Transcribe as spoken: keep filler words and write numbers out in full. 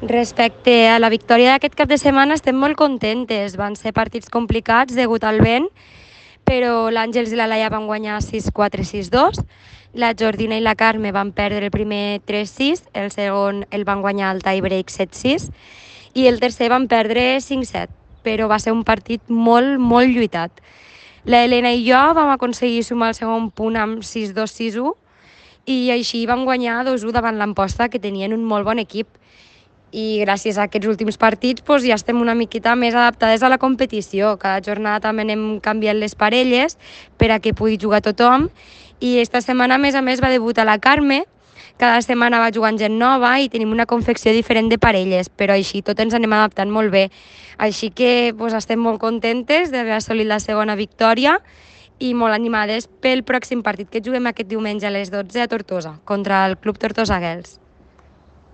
Respecte a la victòria d'aquest cap de setmana estem molt contentes. Van ser partits complicats degut al vent, però l'Àngels i la Laia van guanyar sis quatre sis dos. La Jordina i la Carme van perdre el primer tres sis, el segon el van guanyar al tie-break set sis i el tercer van perdre cinc set, però va ser un partit molt, molt lluitat. La Helena i jo vam aconseguir sumar el segon punt amb sis dos sis u i així vam guanyar dos u davant l'Amposta, que tenien un molt bon equip. I gràcies a aquests últims partits doncs, ja estem una miqueta més adaptades a la competició. Cada jornada també anem canviant les parelles per a que pugui jugar tothom. I esta setmana, a més a més, va debutar la Carme. Cada setmana va jugant gent nova i tenim una confecció diferent de parelles, però així tot ens anem adaptant molt bé. Així que doncs, estem molt contentes d'haver assolit la segona victòria i molt animades pel pròxim partit que juguem aquest diumenge a les dotze a Tortosa, contra el Club Tortosa Girls.